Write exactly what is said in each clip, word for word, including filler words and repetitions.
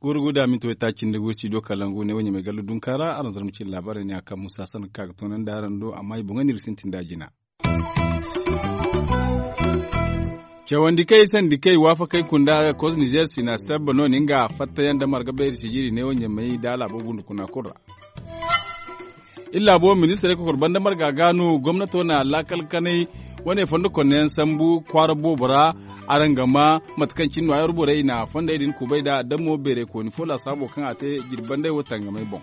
Guuru guda minti waytaaci nda guuru studio kalangu ne wo ɲamay gallu dunka ra araŋ zarma cine laabaarey ne a kaŋ musa sanka ka ga toonandi araŋ do amma i boŋey no iri ga sintin nd'a jina. Cawandi kay sandi kay waafakey kunda koz nizer sina sabba no nin ga fattayaŋ da marga bayri sijiri ne wo ɲamay da laabo gundu kuna kulu ra. Iri laabo ministirey kokor banda marga ga no gomnato na laakal kanay wane fondo konneyaŋ sambu kwaara boobo ra. Araŋ ga ma mate kaŋ cine no ay wara borey i na fondey din kubay nd'a da mo beerey kooni fo laasaabo kaŋ a te jirbi bandey wo tangamey boŋ.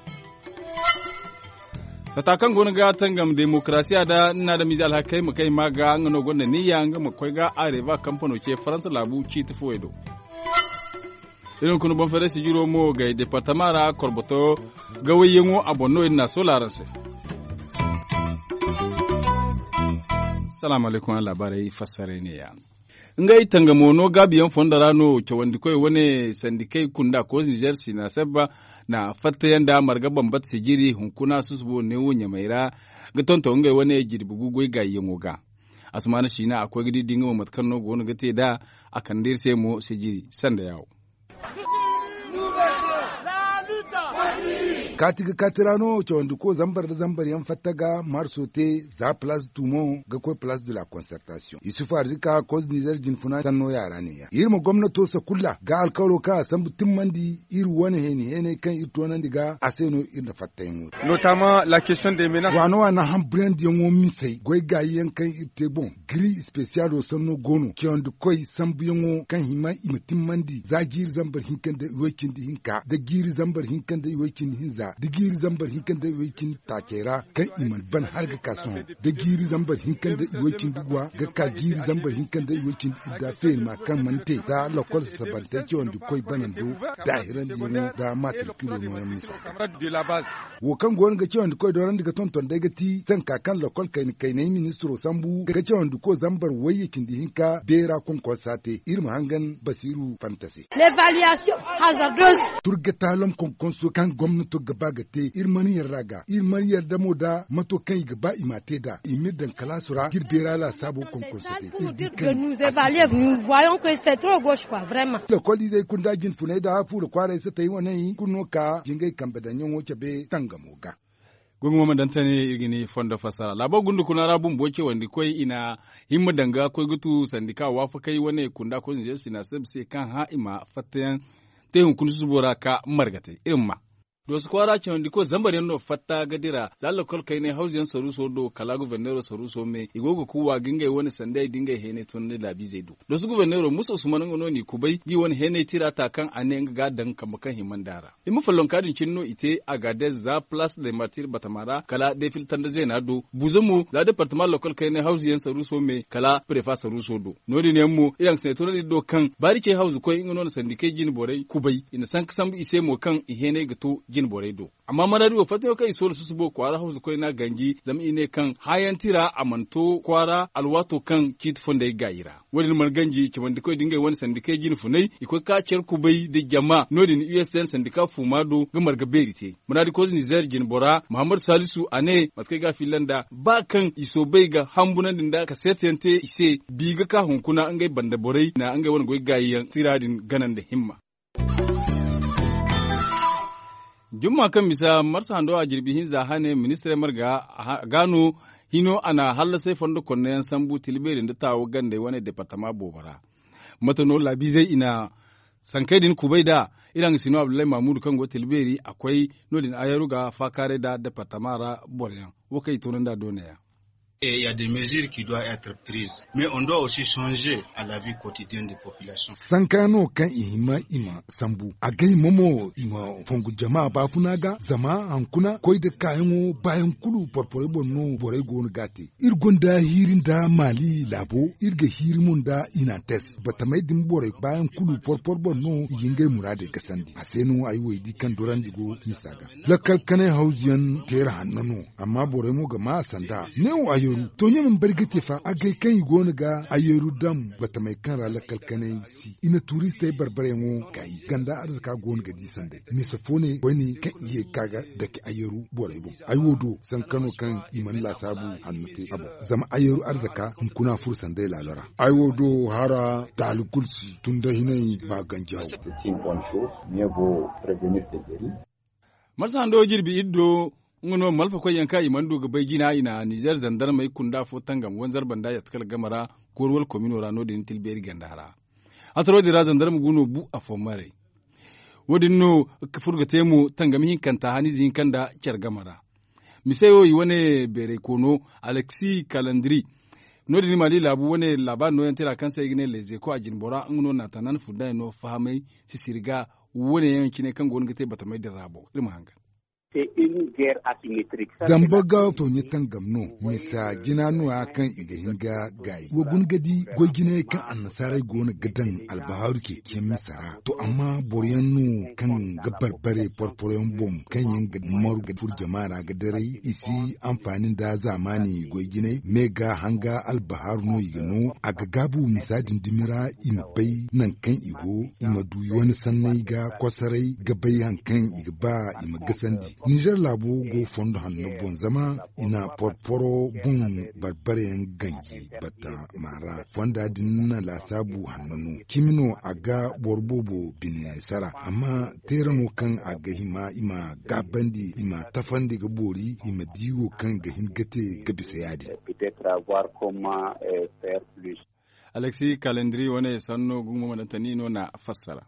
Sata kaŋ go no ga tangam demokarasiya da ni na adamize alhakey ma kay ma ga nga no gonda niyya nga ma koy ga areva kampano ce faransa laabu ciiti fooyey do. Iri hunkuna boŋ feeray sijiro mo gay departama ra korboto gawayyaŋo a boŋ no iri na a soola araŋ se. Salaamu alaykum araŋ laabaarey fassaray ne ya. Ngey tangamo no gaabiyaŋ fondo ra no cawandikoy wane sandikey kunda koos nizer sina sabba na fattayaŋ nda marga bambata sijiri hunkuna susubo neewo ɲamey ra ga tonton ngey wane jirbi gu goy gaayyaŋo ga. Asamaana siina a koy ga di di nga mo mate kaŋ no go no ga te nd'a. A kande iri se mo sijiri sanda yaawo. Kaati ga kaati ra no cawandiko zambar nda zambar yaŋ fatta ga marso te za palaas tumo ga koy palaas de la konsertasiyoŋ isufu arzika koz nizer jinfuna sanno yaara ne ya iri ma gomnato sakulla ga alkawalo kaŋ a sambu timmandi iri wane heeni heenay kaŋ iri toonandi ga a se no iri na fattayaŋo. Waano waano hamburandiyaŋo misey goy gaayi yaŋ kaŋ iri te boŋ giri spesiyalo sanno go no cawandi koy sambuyaŋo kaŋ hima i ma timmandi za jiiri zambar hinka nda iway cindi hinka da jiiri zambar hinka nda iway cindi hinza da jiiri zambar hinka nda iway cindi taacey ra kaŋ i mana ban hala ga ka sohõ da jiiri zambar hinka nda iway cindi guwa ga ka jiiri zambar hinka nda iway cindi idda feeri ma kaŋ mana te za lokol sasabantey cawandi koy banando daahirandiyaŋo nda matrikilo nooyaŋ misa ga. Wo kaŋ go no ga cawandi koy doorandi ga tonton day ga ti sanka kaŋ lokol kayna kaynay ministiro sambu ga cawandi koy zambar wayye cindi hinka beera konkonsa te iri ma hangan basiru fanta se. Turga taalom konkonso kaŋ gomnato ga ba ga te iri mana yarda ga iri mana yarda mo da mato kaŋ i ga ba i ma te nd'a i m'iri daŋ kalaasu ra ga iri beera laasaabo konkonso te. Iri di kaŋ lokoliizey kulu nda jinfuney nda fuura kwaaray satey wane kulu no ka jingay kambe daŋyaŋo cabe tangamo ga. Gungu mo ma daŋ tane iri ga ni fondo fassara laabo gundu kuna ra bumbo cawandi koy i na himma danga koy ga tu sandika waafakey wane kunda koy zinzey sina seb se kaŋ hã i ma fattayaŋ te hunkuna susubo ra ka margatey iri ma ma. Doosu kwaara cawandi koy zambar yaŋ no fatta ga dira za lokol kaynay hawzu yaŋ saruuso do kala guverneero saruuso me i go ga kuuwa ga ngey wane sandey da ngey heenay tunandi laabiizey do. Doosu guverneero musa usman nga no n'i kubay ga i wane heenay tira ta kaŋ a ne nga ga a daŋ kambe kaŋ hima nd'a ra. I ma follonka din cine no i te agaadez za palaas de martir batama ra kala defil tanda zeena do buza mo za departama lokol kaynay hawzu yaŋ saruuso me kala prefa saruuso do. No- din yaŋ mo iri hangasiney tunandi do kaŋ baari cey hawzu koy nga no na sandikey jine borey kubay i na sanka sambu i se mo kaŋ i heenay ga to jine borey do. Amma maraadi wo fattayaŋo kaŋ i soola susubo kwaara hawzu koy no a ganji zama i ne kaŋ haayaŋ tira a mana to kwaara alwaato kaŋ ciiti fondey gaayi ra. Wo- din mana ganji cawandi koy da ngey wane sandikey jine funay i koy ka care kubay nda jama no- din usn sandika fuuma do ga marga beeri te maraadi koz nizer jine bora muhammadu salisu a ne mate kaŋ ay ga a filla nd'a ba kaŋ i soobay ga hambunandi nda kaseetiyaŋ te i se bi ga ka hunkuna ngey banda borey na ngey wane goy gaayiyaŋ tira din gana nda himma. Jumma kaŋ misa marsa hando a jirbi hinza hane ministirey marga ga no hino a na hallasay fondo konneyaŋ sambu tilbeeri nda taawo gandey wane departama boobo ra. Mate no laabiizey i na sankey din kubay nd'a iri hangasino abdullahi mamudu kaŋ go tilbeeri a koy no- din ayaru ga faakaaray nd'a departama ra boroyaŋ wo kaŋ i toonandi a doonaya. Sanka no kaŋ i hima i ma sambu a ga hima mo i ma fongu jama baafuna ga zama hankuna koy nda kaayaŋo baayaŋ kulu porporey boŋ no borey go no ga a te. Iri gonda hiiri nda maali laabo iri ga hiiri mo nda inates batamey din borey baayaŋ kulu porpor boŋ no i ga ngey muraadey gasandi a se no ay wo ay di kaŋ dorandi go misa ga. Lakkal kanay hawzu yaŋ teera hanno no amma borey mo ga maa a sanda neewo ayo. To ɲamam bari ga te fa agay kaŋ i go no ga ayyaru daŋ batamey kaŋ ra lakkal kanay si i na turistey barbaryaŋo gaayi ganda arzaka go no ga di sanday mise fo ne koyne kaŋ i ye ga ka ga dake ayyaru borey boŋ. Ay wo do sankano kaŋ i mana laasaabu hanno te a boŋ. Zama ayyaru arzaka hunkuna furo sanday laalo ra. Ay wo do hara taali kulu si tun da hinay ba ganjaawo. Marsa hando jirbi iri do nga no malfakoyyaŋ kaŋ i mana du ga bay jina i na nizer zandarmey kunda fo tangam wanzar banda yatta kala game ra koori wala komino ra no- din tilbeeri ganda ra. Hasaro din ra zandarma gu no bu afo maray. Wo- din no furo ga te mo tangam hinkanta haniize hinka nda care game ra. Mise wo i wane beeray koono, alexi kalandiri. No- din mali laabu wane laabaari nooyaŋ tira kaŋ se i ga ne lezeko a jinbora nga no naatanan fundayaŋ no fahamay sisiri ga. Wane yaŋ cine kaŋ go no ga te batamay din ra boŋ iri ma hangan. Zamba ga tooɲe tangam no. Misa jina no- ya kaŋ i ga hin ga gaayi wa guna ga di goy jinayey kaŋ annasaarey go no ga daŋ albahaaru ceeciyaŋ misa ra. To amma boro yaŋ no kaŋ ga barbare porporoyaŋ boŋ kaŋ yaŋ ga maru ga furo jama ra ga daray i si anfaani nda zaamaani goy jinay me ga hanga albahaaru no i ga no a ga gaabu misa din dumi ra i ma bay nangu kaŋ i go i ma du i wane sanney ga kosoray ga bay hari kaŋ i ga ba i ma gasandi. Nizer laabo go fondo hanno boŋ zama i na porporo boŋ barbare yaŋ ganji batama ra fonda din na laasaabu hanno no cimi no a ga boro boobo bine sara amma teera no kaŋ a ga hima i ma gaabandi i ma tafandi ga boori i ma di wo kaŋ ga hin ga te ga bisa ya- din. Alexi kalendiri wane sanno gumo madantani no na fassara.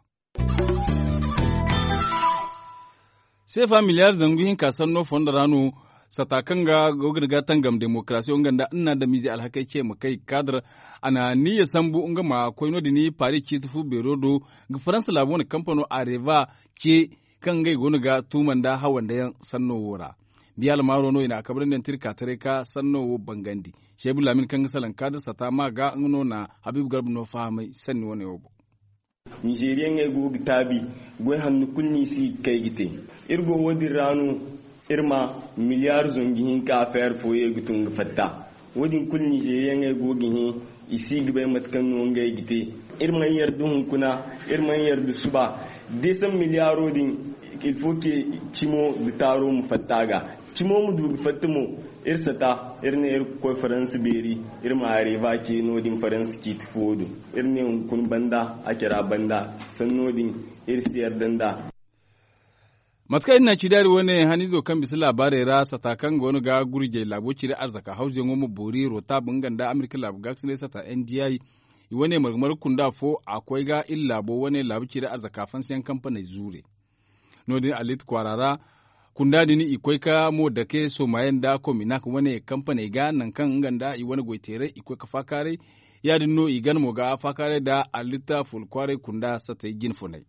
Seefa miliyar zangu hinka sanno fondo ra no sata kaŋ ga go ga ni ga tangam demokarasiyo nga nda nna da miize alhakey ce ma kay kaadar. A na niyya sambu nga ma koy no- din paris ciiti fu beero do ga faransa laabu wane kampano areva ce kaŋ ngey go no ga tuuma nda hawanda yaŋ sanno wo ra. Biya almaaro no i na a kabrandi yaŋ tira ka taray ka sanno wo bangandi. Seebu laamin kaŋ ga salaŋ kaadar sata ma ga nga no na habiibu garba no fahamay sanni wane wo boŋ. Nizeeriyaŋey go ga taabi goy hanno kulu no i si ga kay ga te. Iri go wo- din ra no iri ma miliyaar zangu hinka afeer fo ye ga tun ga fatta. Wo- din kulu nizeeriyaŋey go ga hẽ i si ga bay mate kaŋ no ngey ga te. Iri mana yarda hunkuna, iri mana yarda suba. Deesan miliyaaro din, ilfo ke cimo nda taaro ma fatta a ga. Cimo ma du ga fatta mo, iri sata iri ne iri ga koy faransa beeri. Iri ma areeba ce no- din faransa ciiti fo do. Iri ne hunkuna banda a cara banda sanno din iri si yarda nd'a. Mate kaŋ iri na ci daari wane haniizo kaŋ bisa laabaarey ra sata kaŋ go no ga gurjey laabo cire arzaka hawzuyaŋo ma boori rotab nga nda amerika laabu gaakasinay sata n d i i wane marga marga kunda fo a koy ga iri laabo wane laabu cire arzaka fansiyaŋ kampaney zuure. No- din alit kwaara ra kunda din i koy ka mo dake somaye nda kominak wane kampaney ga nangu kaŋ nga nda i wane goyteeray i koy ga faakaaray. Ya- din no i gana mo ga faakaaray nda alit ful kwaaray kunda satey jine funay.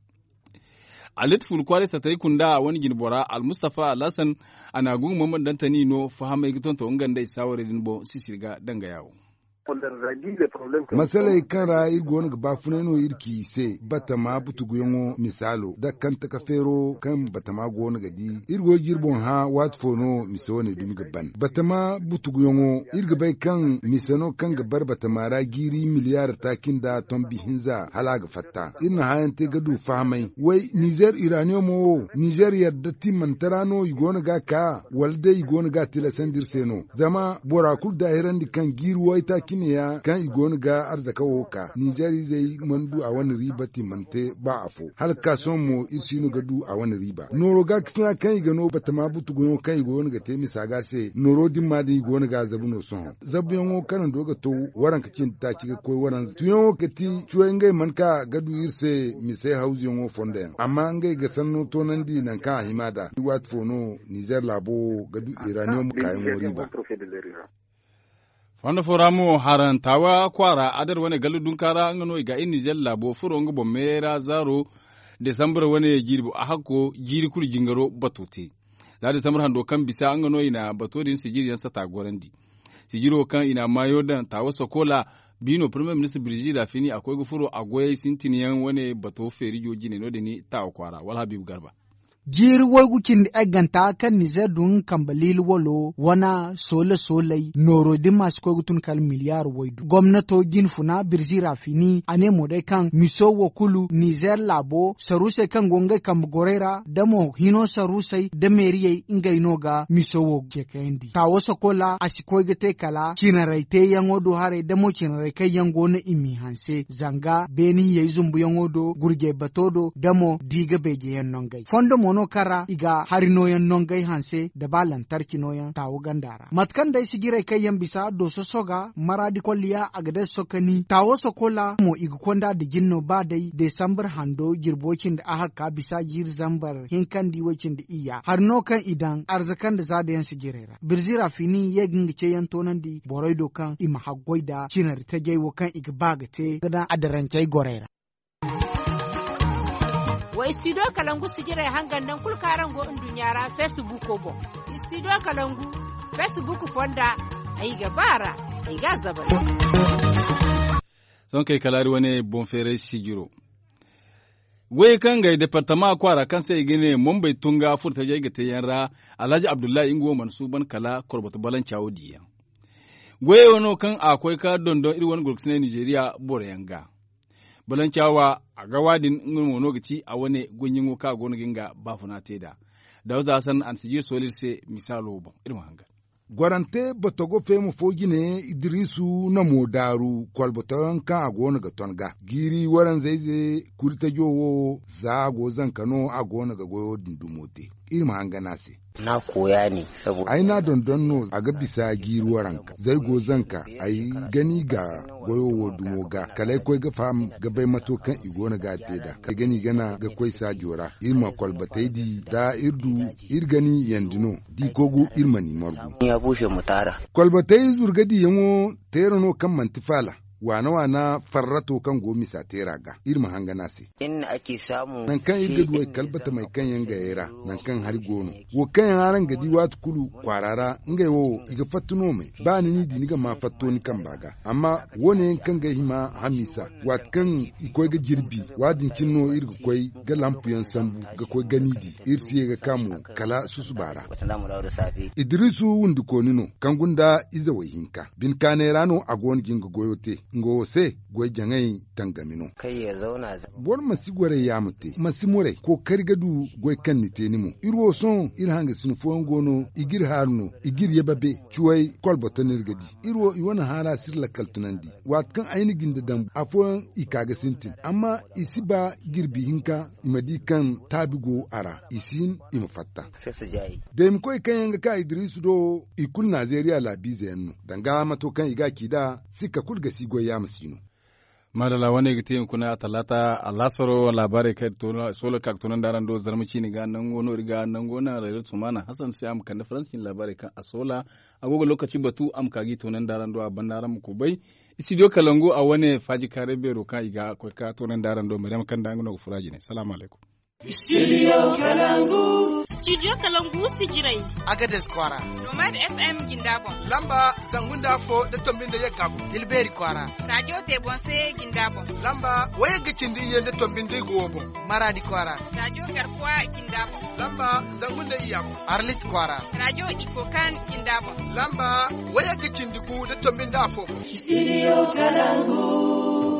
Alit ful kwaaray satey kunda a wane jine bora almustafa alhasan. A na gungu mamman dantani no fahamay ga tonton nga nda i saawarey din boŋ sisiri ga danga yaawo. Masaley kaŋ ra iri go no ga baafunay no iri ci i se batama butuguyaŋo misaalo da kanta ka feero kaŋ batama go no ga di. Iri go ga iri boŋ hã waati fo no mise wane dumi ga ban batama butuguyaŋo iri ga bay kaŋ mise no kaŋ ga bare batama ra jiiri miliyaar taaci nda tombi hinza hala a ga fatta. Iri na hãayaŋ te ga du fahamay way nizer iraniyomo wo nizer yadda timmante ra no i go no ga a ka wala day i go no ga a tilasandi iri se no? Zama bora kulu daahirandi kaŋ jiiri waytaaci ne ya kaŋ i go no ga arzaka wo ka nizer izey mana du a wane riiba timmante ba afo hala ga ka sohõ mo iri si no ga du a wane riiba nooro gaakasina kaŋ i ga no batama butuguyaŋo kaŋ i go no ga te misa ga se nooro dimma din i go no ga a zabu no sohõ. Zabuyaŋo kanando ga to waranka cindi taaci ga koy waranza tuyaŋo ga ti cuway ngey mana ka ga du iri se mise hawzuyaŋo fondo yaŋ amma ngey ga sanno toonandi nangu kaŋ a hima nd'a waati fo no nizer laabo wo ga du iraniyoŋ kaayaŋo riiba. Fondo fo ra mo haran taawa kwaara adar wane gallu dunka ra nga no i ga iri nizer laabo furo nga boŋ meeyey ra zaaro desambur wane jirbi a hakko jiiri kulu jingaro bato te. Za desambur hando kaŋ bisa nga no i na bato din sijiri yaŋ sata gorandi. Sijiro kaŋ i na maayo daŋ taawa sokola biino premier ministre birzi da fini a koy ga furo a goyey sintin yaŋ wane bato feerijo jine no- din taawa kwaara wala habiibu garba. Jiiri waygu cindi egganta kaŋ nizeer du nga kambe liili walo wane soole sooley nooro din ma si koy ga tun kala miliyaar waydu gomnato jinfuna birzi rafini a ne mo day kaŋ miso wo kulu nizeer laabo saruusey kaŋ go ngey kambe gorey ra da mo hino saruusey da meeriyey ngey no ga miso wo ce kayandi taawo sakola a si koy ga te kala cinarey teeyaŋo do haray da mo cinarey kaŋ yaŋ go no i m'i hanse zanga beeni hiyey zumbuyaŋo do gurjey bato do da mo di ga beejeyaŋ no ngey fondo mo no kaŋ ra i ga hari nooyaŋ no ngey hanse nda ba lantarki nooyaŋ taawo ganda ra mate kaŋ day sijirey kaŋ yaŋ bisa dooso soga maraadi kolliya a ga day sokani taawo sokola mo i ga konda nda jin no ba day desambar hando jirbi way-cindi ahakka bisa jiiri zambar hinkandi way-cindi iyya hari no kaŋ i daŋ arzaka nda zaada yaŋ sijirey ra birzi rafini ye ga nga ceeyaŋ toonandi borey do kaŋ i ma haggoy nda cinari tajey wo kaŋ i ga ba ga te ga daŋ adarancey gorey ra. Wa istidiyo kalangu sijirey hangan nangu kulu kaŋ araŋ go nduɲɲa ra feesibuuko boŋ. Istidiyo kalangu feesibuuk fonda ay ga ba a ra ay ga a zabari. Sohõ kay kala hari wane boŋ feeray sijiro. Wayey kaŋ ngey departama kwaara kaŋ se i ga ne mombey tunga furtajey ga te yaŋ ra, alhaji abdullahi nga wo mana suuban kala korboto balanca wo diyaŋ. Wayey wo no kaŋ a koy ka dondon iri wane gurkusinay nizeeriya boroyaŋ ga. Balanca wa a ga wa din nga mo no ga ci a wane goyyaŋo kaŋ a go no ga nga baafuna te nd'a. Dawuda hasan a na sijir sooli iri se misaalo boŋ iri ma hangan. Gorante botogo feema fo jine idirisu na mo daaru kolbotoyaŋ kaŋ a go no ga ton ga jiiri waranzayze kurtajo wo za a go zanka no a go no ga goyo din dumo te. Iri ma hangan a se. Ay n'a dondon no a ga bisa jiiri waranka zay go zanka ay gani ga goyo wo dumo ga kala ay koy ga faham ga bay mato kaŋ i go no ga a te nd'a ay gani gana ga koy saajo ra iri ma kolbatey di da iri du iri gani yandi no da i koy gu iri mana i margu. Kolbatey zurgadiyaŋo teera no kaŋ manti faala waana waana farrato kaŋ go misa teera ga iri ma hangan a se. Nangu kaŋ iri ga du ay kalbatamey kaŋ yaŋ gayey ra nangu kaŋ hari go no wo kaŋ yaŋ araŋ ga di waati kulu kwaara ra ngey wo i ga fatta no me ba ni n'i di ni ga ma fatto ni kamba ga amma wo- ne yaŋ kaŋ ga ay hima hamisa waati kaŋ i koy ga jirbi wa- din cine no iri ga koy ga lampuyaŋ sambu ga koy gani di iri si ye ga ka mo kala susuba ra. Idirisu wundikooni no kaŋ gunda ize wo-hinka bine kaanay ra no a go no ga nga goyo te nga wo se goy jaŋay tangami no. Boro ma si goray yaama te ma si muray kookari ga du goy kaŋ ni te ni mo iri wo sohõ iri hangasino fooyaŋ go no i g'iri haaru no i g'iri ye babe cuway kolboto no iri ga di iri wo i wane haara si iri lakkal tunandi. Waati kaŋ ay na jinde daŋ afooyaŋ i ka ga sintin amma i si ba jirbi hinka i ma di kaŋ taabi go a ra i si hin i ma fatta. Daymakoy kaŋ yaŋ ga ka idirisu do i kulu nazeeriya laabiize yaŋ no danga mato kaŋ i ga a ci nd'a sikka kulu ga si goy yaama si no. Maadalla wane ga te hunkuna talaata alaasaro laabaarey kaŋ iri soola ka ga toonandi araŋ do zarma ciini ga nango no iri ga nango naŋ rayzor sumaana hasan se a ma kande faransi ciine laabaarey kaŋ a soola. A go ga lookaci batu a ma ka ga i toonandi araŋ do a banda araŋ ma kubay. Istidiyo kalangu a wane faaji kaaray beero kaŋ i ga koy ka toonandi araŋ do maryama kaŋ nda nga no ga fura jine salaamu alaykum. Istidiyo kalangu sijirey. Agades kwaara. Nomad fm jinda boŋ. Lamba zangu nda afo da tombi nda yagga boŋ tilbeeri kwaara. Raajo te boŋ se jinda boŋ. Lamba wayagga cindi iyye nda tombi nda igo wo boŋ. Maraadi kwaara. Raajo garkuwa jinda boŋ. Lamba zangu nda iyya boŋ. Arlit kwaara. Raajo ikokan jinda boŋ. Lamba wayagga cindi gu da tombi nda afo boŋ. Istidiyo kalangu.